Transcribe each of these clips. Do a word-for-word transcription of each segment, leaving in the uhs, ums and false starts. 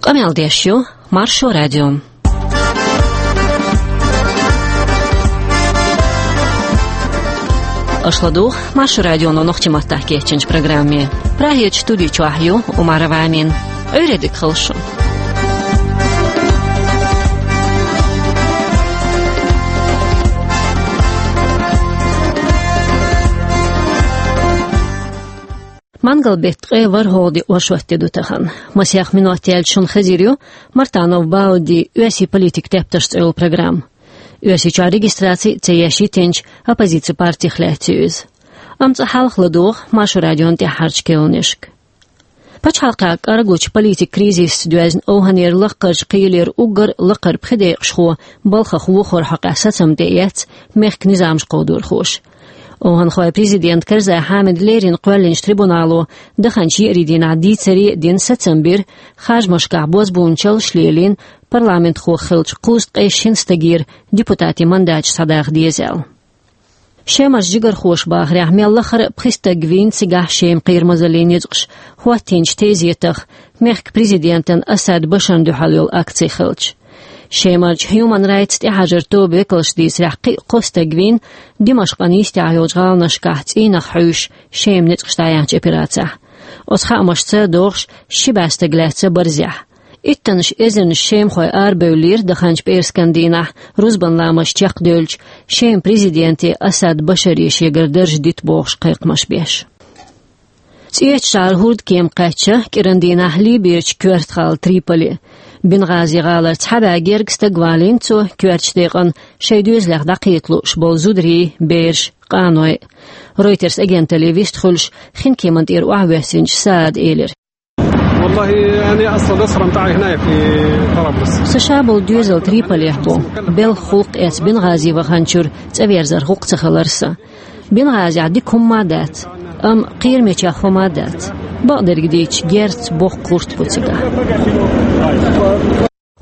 Къамел деш ю Маршо радио. Аша ладугӀу Маршо радионо нохчийн маттахь кечйинчу программе. Прагерчу студи чохь ю Умарова Амина. Ӏуьйре дика хуьлда шун. Мангал-беттан ткъе ворхӀалгӀа де оршот де ду тахана. Масех минот яьлча шуна хезар ю Мартанов Баудин «Оьрсийн политикан тептарш» цӀе йолу программа. Оьрсийчохь регистраци а ца еш йитинчу оппозицин партих лаьцна ю иза. Амма цкъа хьалха ладугӀу Маршо радион тӀаьххьарчу керланашка. Пачхьалкхехь кӀорггучу политикан кризисца доьзна овхӀанера лаккхарчу кхелера уггар лакхара пхи декъашхо балхах вохарх хьокъехь сацам тӀеэцна мехкан низамаш кховдорхоша. ОвхӀанхойн президента Карзай Хьамида леррина кхоьллинчу трибунало даханчу еарин дийнахь дийцаре а дина сацам бира харжамашкахь бозбуунчаллаш лелийна парламентхо хиллачу кхузткъе шина стагера депутатийн мандаташ схьадаха деза аьлла. Шемарчу жигархоша бахарехь, мел лахара а пхи стаг вийна цигахь Шеман кхерамазаллин ницкъаша хӀоттийначу тезетах, мехкан президентан Асад Башарна дуьхьал йолу акци хилча. Шемарчу Human Rights тӀехьажаран тобан векалша дийцарехь, кхин а кхо стаг вийна Димашкъан йистехь йолчу гӀаланашкахь цӀийнах хьуьйсуш Шеман ницкъаша дӀаяьхьначу операцехь. Оцу хаамашца догӀуш, ши бӀе стаг лаьцна барзехь. Иттаннаш эзарнаш шемахой арабевллера даханчу пӀераскан дийнахь, рузбан ламаз чекхдевлча, Шеман президенте Асад Башаре шегара дарж дита бохуш кхайкхамаш беш. ЦӀечу шарахь хӀордкема кхаьчна кӀиран дийнахь Либерчу коьртачу гӀала Триполи. Бенгъази гӀалара цхьа бӀе гергга стаг валийна цо коьртачу декъана, шайн доьзалех дӀакхета лууш болу зударий, бераш, къаной. Ройтерс агенталле вистхуьлуш, хинкеман тӀера охьавоьссинчу Саада элира: والله، أنا أصلًا أسرى متاعي هنا في طرابلس. Сан ша болу доьзал Триполехь бу. Белхан гӀуллакх эцна Бенгъази ваханчуьра цӀа верзарх гӀуллакх ца хилира сан. Бенгъазехь дика хӀумма а дац, амма кхерамечех хӀума а дац. Бакъдерг дийцича, герз, боккха гӀурт бу цигахь.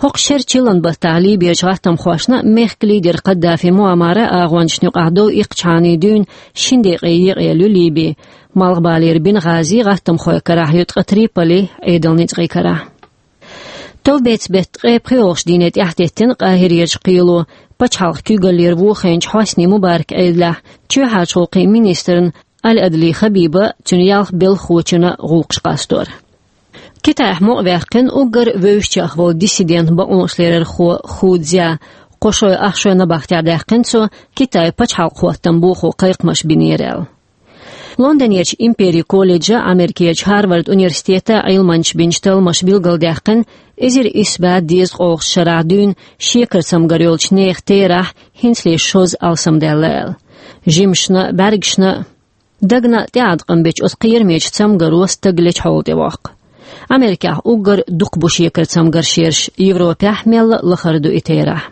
ХӀокху шеран чиллан баттахь Либерчу гӀаттамхошна мехкан лидера Каддафи Муаммара агӀончашна юкъахь дов иккхачхьана дуьйна шина декъе екъаелла ю Либи. Малхбалера Бенгъази гӀаттамхойн карахь ю, ткъа Триполи Ӏедалан ницкъийн карахь. Товбеца-беттан ткъе пхоьалгӀачу дийне тӀаьхьатеттина Къахирерчу кхело пачхьалкхан куьйгаллера вохийначу Хьосни Мубаракан Ӏедалехь чоьхьарчу гӀуллакхийн министрна Аль-Адли Хабиба, цуьнан ялх белхахочунна гӀуллакхаш къастор. Китайхь мукъаваьккхина уггар вевзачех волу диссидент бакъонашларъярхо Ху Цзя, кхо шой ах шой набахтехь даьккхина цо Китайн пачхьалкхан хӀоттам бохо кхайкхамаш бинера аьлла. Лондонерчу Империн колледжа, Америкерчу Харвард университета Ӏилманчаша бинчу талламаша билгалдаьккхина, эзар исс бӀе дезткъалгӀачу шарахь дуьйна шекаран цамгар йолчу нехан терахь хӀинцале шозза алсамдаьлла аьлла. Жимашна а, бӀаьргашна а, дагна а тӀеӀаткъам бечу оцу кхерамечу цамгаро стаг лечу хьола тӀевоккху. Америкехь уггар дукха бу шекаран цамгарш ерш, Европехь мелла а лахара ду и терахь.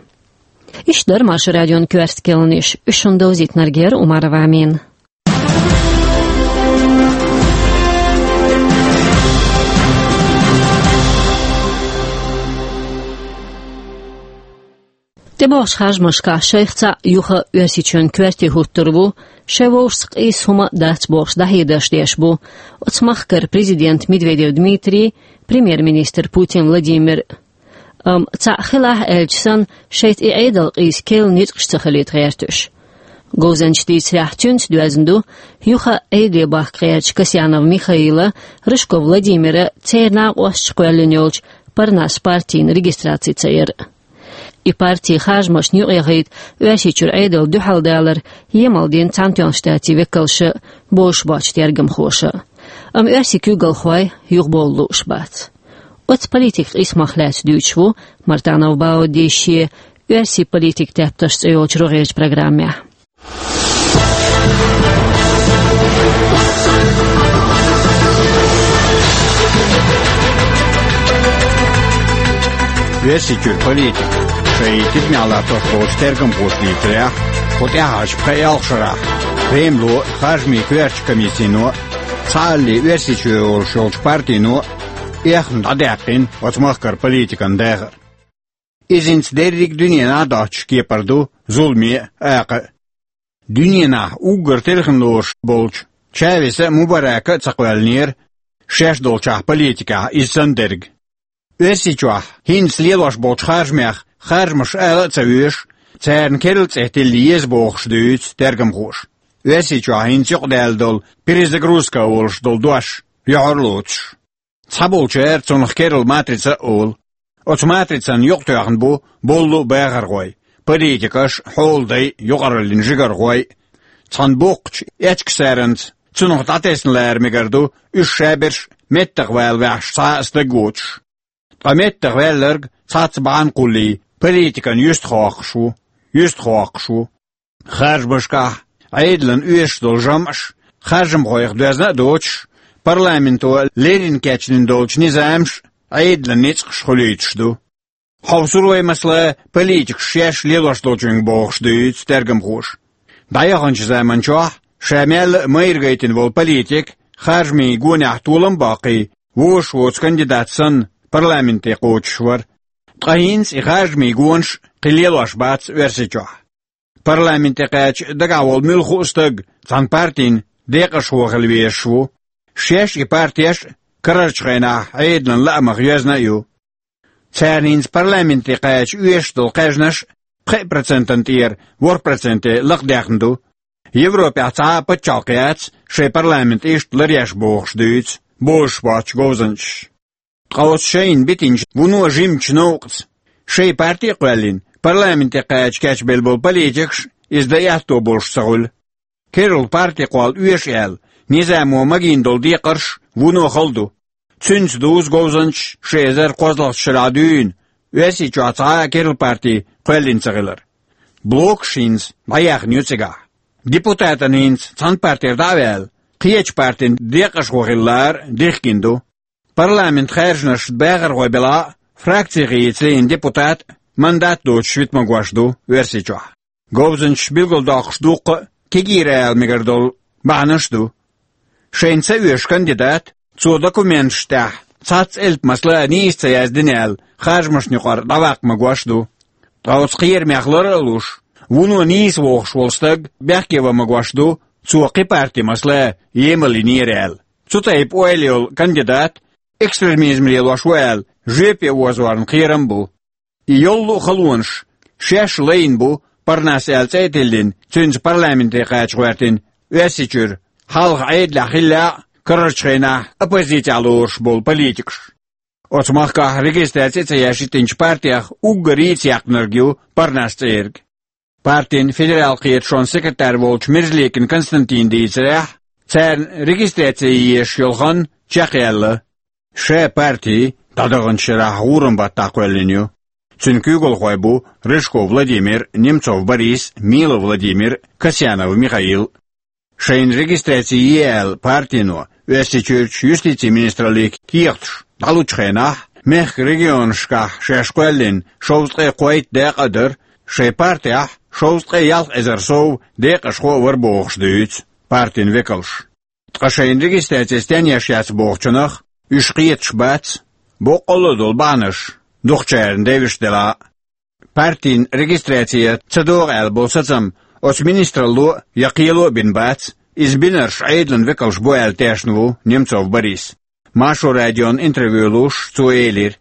Иштта дара Маршо радион коьрта керланаш, уьш шуна довзийтинарг яра Умарова Амина. ТӀебогӀучу харжамашкахь шайх цхьаъ юха Оьрсийчоьнан коьрте хӀуттур ву, шайн вовшашца къийса хӀума а дац бохуш дӀахьедарш деш бу оцу махкара президент Медведев Дмитрий, премьер-министр Путин Владимир. Амма цхьаъ хилахь аьлча санна, шайца и Ӏедал къийса керла ницкъаш ца хилийта гӀерташ. Говзанчаша дийцарехь, цуьнца доьзна ду юха Ӏедале бахка гӀертачу Касьянов Михаила, Рыжков Владимира, церан накъосташа кхоьллина йолчу Парнас партина регистраци ца яр а. И парти харжамашна юкъаяхийта Оьрсийчуьра Ӏедална дуьхьал далар емал дина Цхьаьнатоьхначу Штатийн векалша а, бозуш боцчу тергамхоша а. Амма оьрсийн куьйгалхой юхабовла лууш бац. Оцу политикан къийсамах лаьцна дуьйцуш ву Мартанов Баудин шен «Оьрсийн политикан тептарш» цӀе йолчу рогӀерчу программехь. Оьрсийчуьра политика шайн тидамехь латтош болчу тергамхоша дийцарехь, кху тӀаьхьарчу пхи-ялх шарахь Кремло, харжамийн коьртачу комиссино, цхьаалле Оьрсийчоь йолуш йолчу партино эхна дӀадаьккхина оцу махкара политикан дахар. Иза хӀинца дерриг а дуьненахь доцчуш кепара ду зуламе а, акха а. Дуьненахь уггар телхина лоруш болчу Чавеса а, Мубарака а ца кхоьллинера шаьш долчохь политикехь иза санна дерг. Оьрсийчохь хӀинца лелош болчу харжамех харжамаш ала а ца везаш, царна керла цӀе тилла еза бохуш дуьйцу тергамхоша. Оьрсийчохь хӀинца юкъадаьлла долу перезагрузка а волуш долу дош юьхьар а лоцуш. Цхьаболчара цунах керла матрица а олу. Оцу матрицан юкъатоьхна бу боллу а бахархой, политикаш, хьолдай, юкъараллин жигархой. Цхьана боккхачу эчкасаранца цунах дӀатесна лара мегар ду, уьш шаберш меттах вала ваьхьаш цхьа а стаг воцуш. Ткъа меттах ваьлларг цхьацца бахьана кхуллий, политикан юьстахоккхуш ву, юьстахоккхуш ву. Харжамашкахь Ӏедалан оьшуш долу жамӀаш, харжамхойх доьзна а доцуш, парламенто леррина кечдина долчу низамаш, Ӏедалан ницкъаш хуьлуьйтуш ду. Хьовсур вай, масала, политикаш шаьш лелош долчуьнга бохуш дуьйцу тергамхоша. ДӀаяханчу заманчохь ша мелла а майра гайтина волу политик, харжамийн гонехь толам а боккхий, вожаш воцу кандидат санна, парламенте кхочуш вара. Ткъа хӀинца и харжамийн гонаш кхин лелош бац Оьрсийчохь. Парламенте кхаьча дагахь волу муьлхха а стаг цхьана партин декъашхо хила везаш ву. Шаьш и партеш а карарчу хенахь Ӏедалан лаамах йоьзна а ю. Царна хӀинца парламенте кхаьча оьшуш долу кхаьжнаш пхеа процентан тӀера ворхӀ проценте лакхадаьхна ду. Европехь цхьа а пачхьалкх яц шайн парламент иштта ларъеш бохуш дуьйцу бозуш боцчу говзанчаша. Ткъа оцу шайна битинчу вуно жимачу новкъаца, шайн парти а кхоьллина, парламенте кхаьча кечбелла болу политикаш иза дан аьтто болуш ца хуьлу. Керла парти кхолла оьшу аьлла, низамо магийна долу декхарш вуно хала ду. Цуьнца дузу говзанчаш ши эзар кхозлагӀчу шарахь дуьйна, Оьрсийчохь цхьа а керла парти кхоьллина ца хилар. Блокаш хӀинца дӀаяьхна ю цигахь. Депутатан хӀинца цхьана партера дӀа а ваьлла, кхечу партин декъашхо хила лара дихкина ду. Парламент хаьржинарш бахархой белахь а, фракци хийца лиъна депутат мандат доцуш вита магош ду Оьрсийчохь. Говзанчаш билгалдоккхуш дуккха а кегийра ала мегар долу бахьанаш а ду. Шайна ца оьшу кандидат, цо документаш тӀехь цхьацца элп, масала, нийса ца яздина аьлла, харжамашна юкъара дӀаваккха магош а ду. Ткъа оцу кхерамех лар а луш, вуно нийса вохуш волу стаг бехке ван магош ду, цо кхин парти, масала, емал йинера аьлла. Цу тайпа ойла йолу кандидат экстремизм лелош ву аьлла, жоьпе озорна кхерам а бу. И йолу а халонаш шаьш лайна бу, Парнас аьлла цӀе а тиллина, цуьнца парламенте кхача гӀоьртина Оьрсийчуьра, хьалха Ӏедалехь хиллехь а, карарчу хенахь оппозицехь лоруш болу политикаш. Оцу махкахь регистраци а ца еш йитинчу партех уггаре а ца яьккхинарг ю Парнас цӀерга. Партин федерал кхеташонан секретарь волчу Мерзликин Константина дийцарехь, царна регистраци езаш йолу хан чекхъяьлла. Ша парти дӀадаханчу шарахь гӀуран баттахь кхоьллина ю. Цуьнан куьйгалхой бу Рыжков Владимир, Немцов Борис, Милов Владимир, Касьянов Михаил. Шайна регистраци е аьлла партино Оьрсийчуьрчу юстицин министралле кехаташ дӀалучу хенахь, мехкан регионашкахь шаьш кхоьллина шовзткъе кхойтта дакъа а дара, шайн партехь шовзткъе ялх эзар сов декъашхо а вара бохуш дуьйцу партин векалша. Ткъа шайна регистраци стенна еш яц бохучунах, уьш кхеташ бац, боккъалла а долу бахьанаш дукхачарна девзаш делахь а. Партин регистраци ца догӀу аьлла болу сацам оцу министралло а я кхело а бина бац, иза бинарш Ӏедалан векалш бу аьлла тешна ву Немцов Борис. Маршо радион интервью луш, цо элира: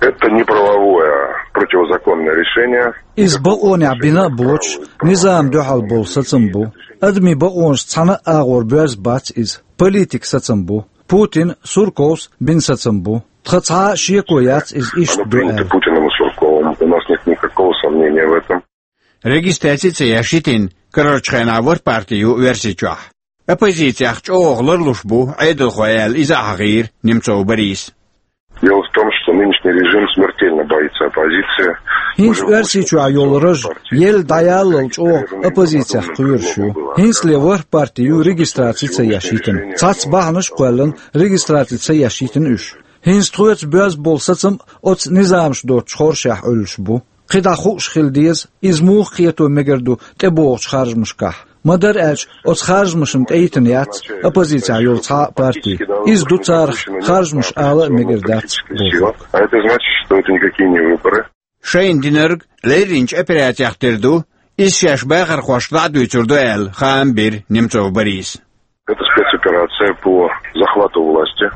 Это неправовое, противозаконное решение. Иза бакъонехь бина а боцуш, низамна дуьхьал болу сацам бу. Адамийн бакъонашца цхьана а агӀор боьзна бац иза. Политикан сацам бу. Путина, Сурковс бина сацам бу. Тхан цхьа а шеко яц иза иштта ду аьлла. Оно принято Путиным и Сурковым. У нас нет никакого сомнения в этом. Регистраци ца еш йитина карарчу хенахь ворхӀ парти ю Оьрсийчохь. Оппозицех чӀогӀа ларлуш бу Ӏедалхой аьлла, иза а хьахийра Немцов Бориса. Дело в том, что нынешний режим смертельно боится оппозиции. ХӀинца Оьрсийчохь йолу раж елла дӀаяллал чӀогӀа оппозицех кхоьруш ю. ХӀинцале ворхӀ парти ю регистраци ца еш йитина. Цхьацца бахьанаш а кхоьллина, регистраци ца еш йитина уьш. ХӀинца тхоьца боьзна болу сацам оцу низамаш доцучу хоршехь Ӏуьллуш бу. КхидӀа хууш хила деза, иза муха кхето мегар ду тӀебогӀучу харжамашкахь. Ма-дарра аьлча, оцу харжамашна тӀейтина яц оппозицехь йолу цхьа а парти. Иза ду царах харжамаш ала а мегар дац бохург. А это значит, что это никакие не выборы. Шайна динарг лерринчу операцех тера ду, иза шаьш бахархошка дӀа а дуьйцур ду аьлла, хаам бира Немцов Бориса. Это спецоперация по захвату власти.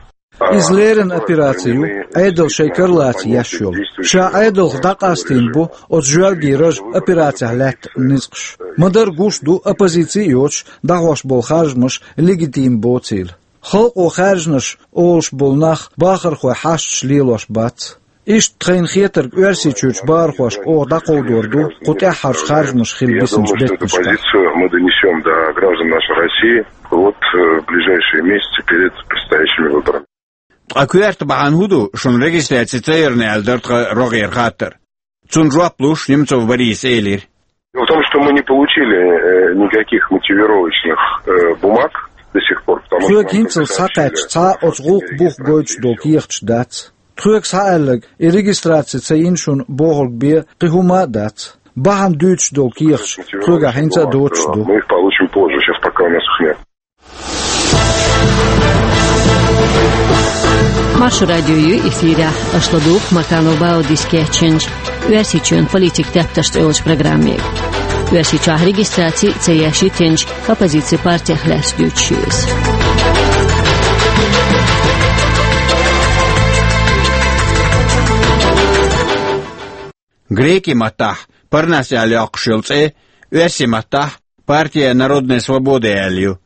Иза леррина операци ю, Ӏедал шайн кара лаца еш йолу. Ша Ӏедалх дӀакъастийна бу оцу жоьлгийн ража операцехь лаьтта ницкъаш. Ма-дарра гуш ду, оппозици а йоцуш, дӀахьош болу харжамаш легитим боцийла. Халкъо хаьржинарш олуш болу нах бахархойн хьашташ лелош бац. Иштта тхайна хетарг, Оьрсийчуьрчу бахархошка оха дӀакховдор ду кху тӀаьххьарчу харжамаша хила бисинчу беттанашкахь. Позицию мы донесём до граждан нашей России вот, э, в ближайшие месяцы перед предстоящими выборами. Ткъа коьрта бахьана хӀун ду шуна регистраци ца ярна аьлла дара тхан рогӀера хаттар? Цунна жоп луш, Немцов Бориса элира: Дело в том, что мы не получили, э, никаких мотивировочных, э, бумаг до сих пор, потому что... Тхоьга хӀинццалц схьакхаьчча цхьа а оцу гӀуллакхан бух гойтуш долу кехаташ дац. Тхоьга схьааьлларг, и регистраци ца йина шуна бохург бен кхин хӀума а дац. Бахьана дуьйцуш долу кехаташ тхоьгахь хӀинца а доцуш ду. Мы их получим позже, сейчас пока у нас их нет. Маршо радио ю эфирехь, аша ладугӀу Маканов Баудис кечйинчу «Оьрсийчоьнан политикан тептарш» цӀе йолчу программе. Оьрсийчохь регистраци ца еш йитинчу оппозицин партех лаьцна дуьйцуш ю иза. Греки маттахь Парнас аьлла йоккхуш йолу цӀе, оьрси маттахь Партия народной свободы аьлла ю.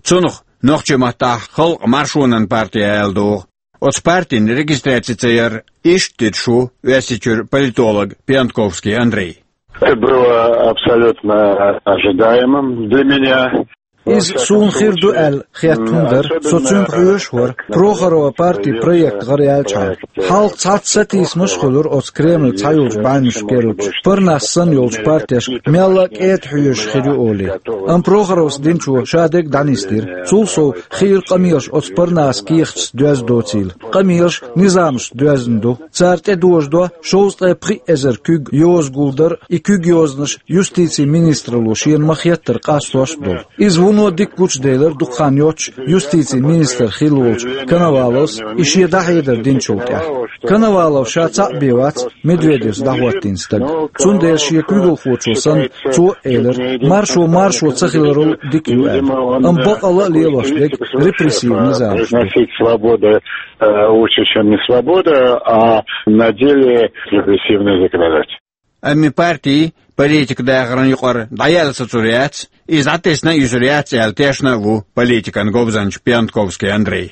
Цунах нохчи маттахь Халкъан маршонан партия аьлла догӀу. Оцу партин регистраци ца яр иштта дуьйцуш ву Оьрсийчуьра политолог Пиантковский Андрей. Это было абсолютно ожидаемым для меня. Иза суна хир ду аьлла хетта хӀума дара, со цуьнга хьоьжуш а вара, Прохорова партин проект гӀараяьллачхьана. Хьалха цхьацца сатийсамаш а хуьлура оцу Кремлан цхьайолчу бӀаьвнашка керлачу, Парнас санна йолчу партешка мелла а кӀеда хьоьжуш хир ю олий. Амма Прохоровс динчо ша дерг дӀанисдира. Цул сов, хиира къамелаш оцу Парнасан кехаташца доьзна доцийла. Къамелаш низамашца доьзна ду. Цара тӀедожадо шовзткъе пхиъ эзар куьг йоза гулдар, и куьг йозанаш юстицин министралло шена ма-хеттара къастош а долу. Иза вуно дика гучуделира дукха хан йоццуш юстицин министр хилла волчу Коноваловс и шен дӀахьедар динчул тӀаьхьа. Коновалов ша цхьаъ бен вац Медведевс дӀахӀоттийна стаг. Цундела шен куьйгалхочо санна, цо а элира, маршо маршо ца хиларал дика ю аьлла. Амма бакъалла а лелош дерг репрессив низамаш ду. Произносить свобода, э, лучше, чем не свобода, а на деле репрессивный законодатель. Амма и парти политикан дахаран юкъара дӀаяьлла сацур яц, иза дӀатесна а юьсур яц аьлла тешна а ву политикан говзанча Пиантковский Андрей.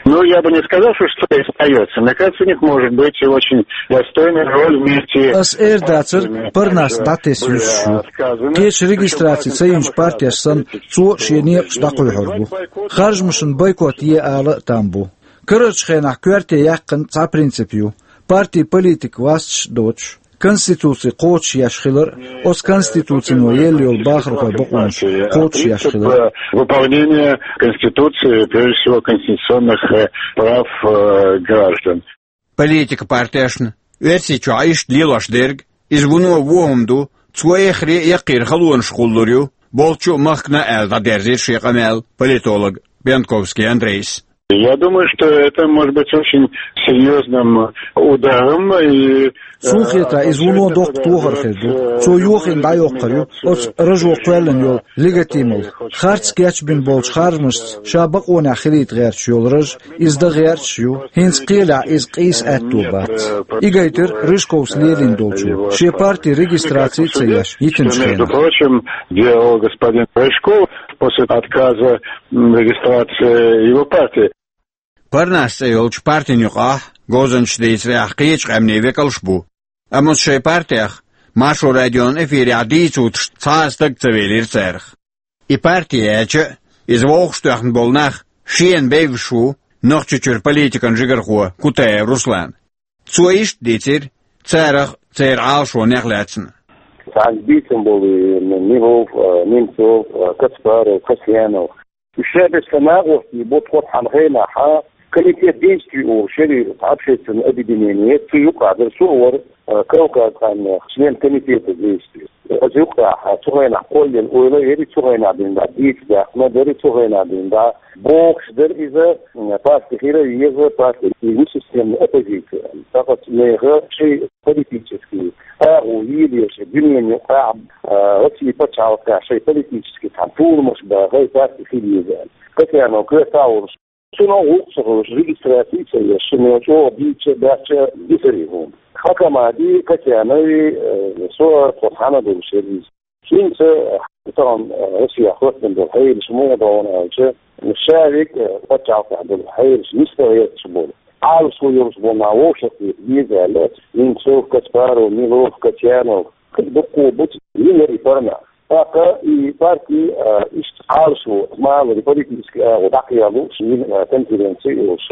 Ну, я бы не сказал, что что-то остаётся. Мне кажется, у них может быть и очень достойная роль вместе с... Ас эр дацар, Парнас дӀатесна юьсуш ю. Кхечу регистраци ца йинчу партеш санна, цо шен некъаш дӀакхуьйхьур бу. Харжамашна бойкот е ала а там бу. Карарчу хенахь коьрте яьккхина цхьа принцип ю: партин политика васташ а доцуш, Конституци кхочушъеш хилар а, оцу Конституцино елла йолу бахархойн бакъонаш кхочушъеш хилар а. Выполнение Конституции, прежде всего, конституционных, э, прав, э, граждан. Политикан партешна Оьрсийчохь иштта лелош дерг, иза вуно вон хӀума ду, цо эххар а, яккхийра халонаш кхуллур ю, болчу а, махкана а аьлла дӀадерзийра шен къамел политолог Пиантковский Андрейс. Я думаю, что это может быть очень серьёзным ударом и... Суна хетарехь, иза вуно доккха тохар хир ду. Цо йохийна дӀайоккхур ю оцу ражо кхоьллина йолу легитималла. Харц кечбина болчу харжамашца ша бакъонехь хилийта гӀерташ йолу раж, иза дан гӀерташ а ю, хӀинца кхелехь иза къийса аьтто бац. И гайтира Рыжковс лелийна долчо, шен партин регистраци а ца еш, йитинчу хенахь. Между прочим, делал господин Рыжков после отказа, м, регистрации его партии. Парнас цӀе йолчу партин юкъахь, говзанчаша дийцарехь, кхечу къаьмнийн векалш а бу. Амма оцу шайн партех Маршо радион эфирехь дийца вутуш цхьа а стаг ца велира царах. И парти яьлча а, иза вовшахтоьхна болу нах шена бевзаш ву Нохчийчуьра политикан жигархо Кутаев Руслан. Цо иштта дийцира царах а, церан Ӏалашонех а лаьцна. Цхьаьна бийцам болу Милов, Немцов, Каспаров, Касьянов. Уьш шаьш бесса нахостий бу тхо цхьана хенахь, комитет действий олуш яра, общественное объединение, цу юкъахь дара, со а вара, э, Кавказ къаьмнех член комитета действий. Оцу юкъахь цу хенахь кхоллина ойла а яра, цу хенахь дина дӀа дийца даьккхина дара, цу хенахь дина дӀа бохуш дара иза, м, парти хила а еза, парти, и системная оппозиция. ТӀаккха нехан шайн политический агӀо йийла еза дуьненан юкъахь, э, Россин пачхьалкхехь шайн политический цхьана толамаш бан, хӀай парти хила еза. Касьянов коьрта а волуш, Цунах гӀулакх ца хилча, регистраци ца еш, шуна чӀоагӀа дийца, баьчча дисари хӀума. Хакамади, Катянови, э, со, со хьана долуш яр иза. ХӀинца, э, тахана, э, Россия хӀоттам долу хьелаш муха ду аьлча, ша век, э, пачхьалкхехь долу хьелаш нисдала гӀерташ болу, Ӏалашо йолуш болу нах вовшахкхета деза аьлла, Немцов, Каспаров, Милов, Катянов, кхин дуккха бу цигара и парнас. ТӀаккха и парти, а, иштта Ӏалашо, малари политически агӀо дӀакхелхалуш, а, конференци йолуш,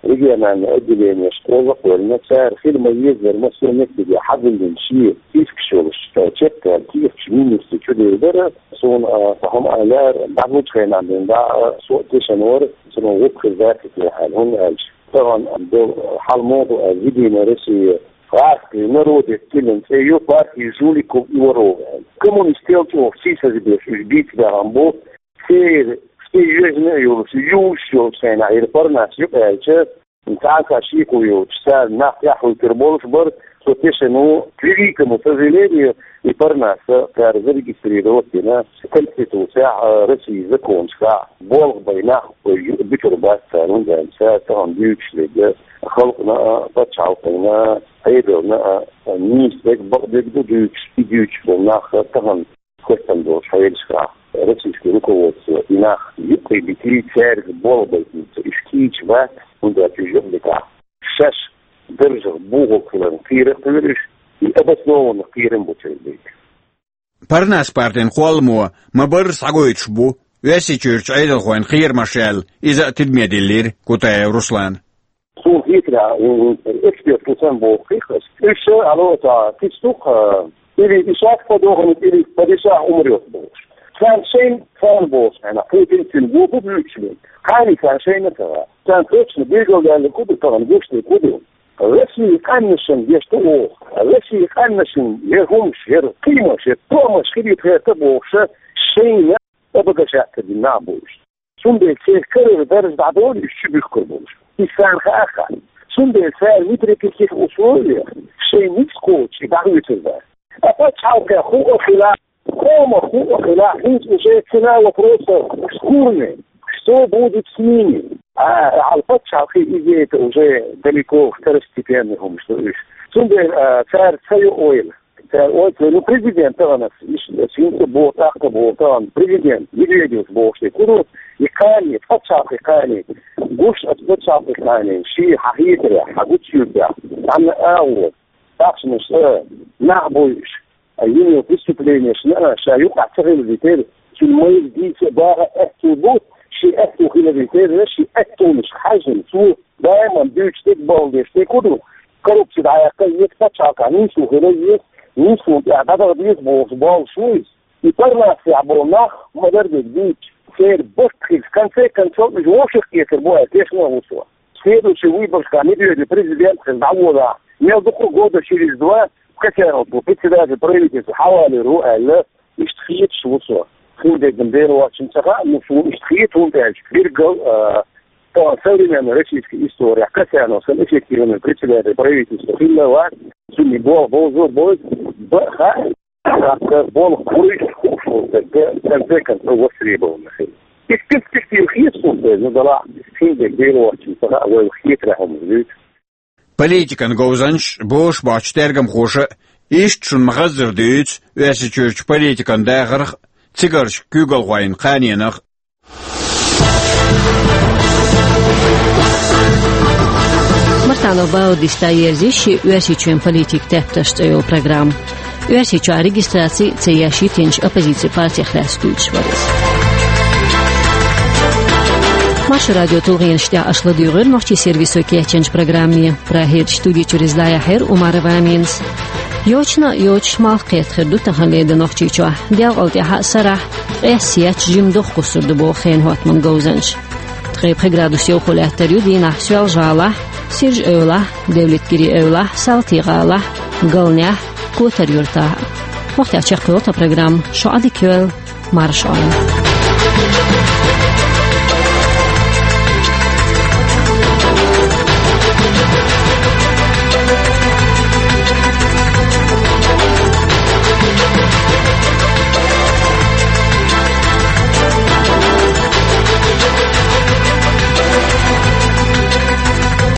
региональный отделенеш кхоза кхоьллина, цара хила ма-еззара массо а меттиге хьадиллина шен спискаш йолуш, а, чекхдаьлла кехаташ министрийн чу девлира. Суна, а, цхьа хӀума аьллера, дӀахьочу хенахь бен дӀа, а, со а тешан вара, цунах гӀуллакх хир дац те аьлла, хӀунда аьлча тахана долу хьал муха ду аьлла, Единая Россия «Гражданский народный» тиллина цӀе ю, партия жуликов и воров аьлла. Коммунистел чӀогӀа сийсаза беш уьш бийца баьхна бу, церан цӀе йоьжна а йолуш, юьйлуш йолуш хенахь, и парнас юкъа аьлча, цхьа а шеко йоцуш, цара нах тӀаьхьахӀуьттур болуш бара, со тешан ву, к великому сожалению, и парнас цара зарегистрировать дина, Конституцехь а, Россин законашкахь а болх бай нах буьтур бац цара, хӀунда аьлча цара тахана дуьйцуш дерг халкъана а, пачхьалкхана а, Ӏедална а нийса дерг, бакъдерг ду дуьйцуш, и дуьйцуш болу нах тахана хӀоттам долчу хьелашкахь, российский руководство и нах юккъе битий, цаьрга болх байтинца уьш кийча бац, хӀунда аьлча уьш юкъа битахь, шаьш даржах бухалг хиларна кхерам бу уьш, и обоснованно кхерам бу церан дерг. Парнас партин кхолламо ма-барра схьагойтуш бу Оьрсийчуьрчу Ӏедалхойн кхерамаш аьлла, иза а тидаме диллира Кутаев Руслана. Суна хетарехь, м, эксперт ву сан боху хих ас. Уьш ша ало ца кистух, а, или ишак подохнет, или падишах умрёт бохуш. Царна шайна, царна бохуш, хьайна, Путин цуьнан го бу буьйцуш бен. Кхани царна шайна ца вац. Царна точно билгалдаьлла ку ду, тахана гуш де ку ду. Россия къаьмнашна деш ду оха. Россия къаьмнашна яр хӀумаш, яр кхиймаш, яр тоамаш хилийта гӀерта бохуша, шайна обогащаться дина нах бу уьш. Цундела церан карара дарж дӀадолу уьш чу буьхкур болуш. Иза царна хаа хаьа. Цундела цара ни при каких условиях шайн ницкъ кхочуш дӀахоьцур дац. Ткъа пачхьалкхехь хӀуъа хила, къомах хӀуъа хила, хӀинца уже цена вопроса в Курне. Что будет с ними? А, хьал пачхьалкхе иза это уже далеко второстепенный хӀумаш ду уьш. Цундела, а, цара ца йо ойла. Цара ойла, ну, президент тахана иш, иш хӀинца боху, тӀаккха боху, тахана президент Медведевс бохуш де ку ду, и кхане, пачхьалкхе кхане, гуш аса пачхьалкхе кхане, ши хьан хетарехь, хьан гучуьйтехь, цхьанна агӀо, тахшанаш а, нах буй уьш, а, йина йолу преступленешна а, ша юкъахь ца хиларе терра, цуьнан майра дийца а, баха а аьтту бу, шен аьтту хиларе терра, шен аьттонаш хьаьжжина, цо даиман дуьйцуш дерг, балха деш дерг ку ду, коррупци дӀаяккха еза, пачхьалкхехь нислух хила еза, нислун тӀехь дӀадаха деза бохуш боллуш ву иза. И парнасехь болу нах ма-дарра дерг дуьйцуш, церан барт хилча, в конце концов, уьш вовшах кхетар бу аьлла, тешна а ву со. Следующий выборашкахь Медведев президент хилла дӀаволахь, мел дукха года через два Касьянов ву председатель правительства, хьавалийр ву аьлла, иштта хеташ ву со. Хин дерг Дела воцчунна ца хаьа, ну, суна иштта хета, хӀунда аьлча билггал, а, тахана современный российский история, Касьянов санна эффективный председатель правительства хилла а вац, цуьнан болх бовзо а бовзу, бан а хаьа, тӀаккха болх кхуьйсуш хууш волу стаг, в конце концов, востребованный хила. Иза перспектива хета суна, ну, делахь, хин дерг Дела воцчунна ца хаьа, вай хетарехь хӀуманаш дуьйцу. Политикан говзанчаш, бозуш боцчу тергамхоша иштта шуна ма-хаззара дуьйцу Оьрсийчуьрчу политикан дахарх а, цигарчу куьйгалхойн кханенах а. Мартанов Баудис дӀаерзийша ши «Оьрсийчоьнан политикан тептарш» цӀе йолу программа. Оьрсийчохь регистраци ца еш йитинчу оппозицин партех лаьцна дуьйцуш вара иза. Маршо радион тулгӀенаш тӀехь аша ладуьйгӀира нохчийн сервисо кечйинчу программе. Прагерчу студи чуьра иза дӀаяьхьира Умарова Аминас. Йочана а йоцуш, малх кхетта хир ду таханлера де Нохчийчохь. Делкъал тӀаьхьа а, сарахь а ткъес етташ жима дохкуссур ду боху хенан хӀоттаман говзанчаша. Ткъе пхи градус йовхо лаьттар ю дийнахь Соьлжа-ГӀалахь, Сиржа-Эвлахь, Девлатгирийн-Эвлахь, Салтий-ГӀалахь, Галнехь, Котар-Юьртахь. Вахтехь чекхйолу тхан программа. Шун Ӏадика йойла, марша Ӏойла.